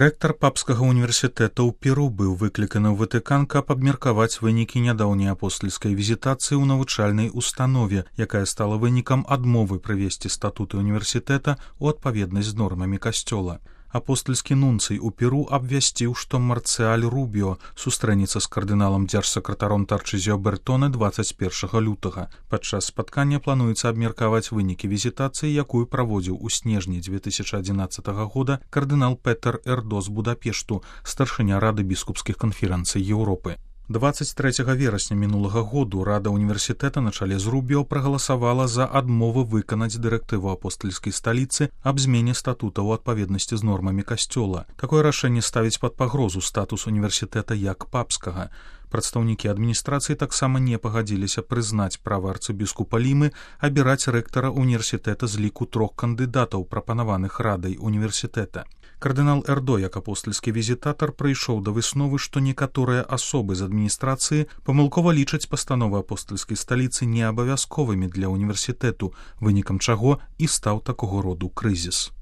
Рэктар папскага універсітэта ў Перу быў выкліканы ў Ватыкан, каб абмеркаваць вынікі нядаўняй апостальскай візітацыі ў навучальнай установе, якая стала вынікам адмовы прывесці статуты універсітэта ў адпаведнасць з нормамі касцёла. Апостальскі нунцый у Перу абвясціў, што Марцыаль Рубіо сустрэнецца з кардыналам дзяржсакратаром Тарчызіо Бертоне 21 лютага. Падчас спаткання плануецца абмеркаваць вынікі візітацыі, якую праводзіў у снежні 2011 года кардынал Петер Эрдо з Будапешту, старшыня Рады біскупскіх канферэнцый Еўропы. 23 верасня мінулага году Рада універсітэта на чале з Рубіо прагаласавала за адмову выканаць дырэктыву апостальскай сталіцы аб змене статута ў адпаведнасці з нормамі касцёла. Такое рашэнне ставіць пад пагрозу статус універсітэта як папскага. Прадстаўнікі адміністрацыі таксама не пагадзіліся прызнаць права арцыбіскупа Лімы абіраць рэктара універсітэта з ліку 3 кандыдатаў, прапанаваных Радай універсітэта. Кардынал Эрдо, як апостальскі візітатар, прыйшоў да высновы, што некаторыя асобы з адміністрацыі памылкова лічаць пастановы апостальскай сталіцы неабавязковымі для універсітэту, вынікам чаго і стаў такога роду крызіс.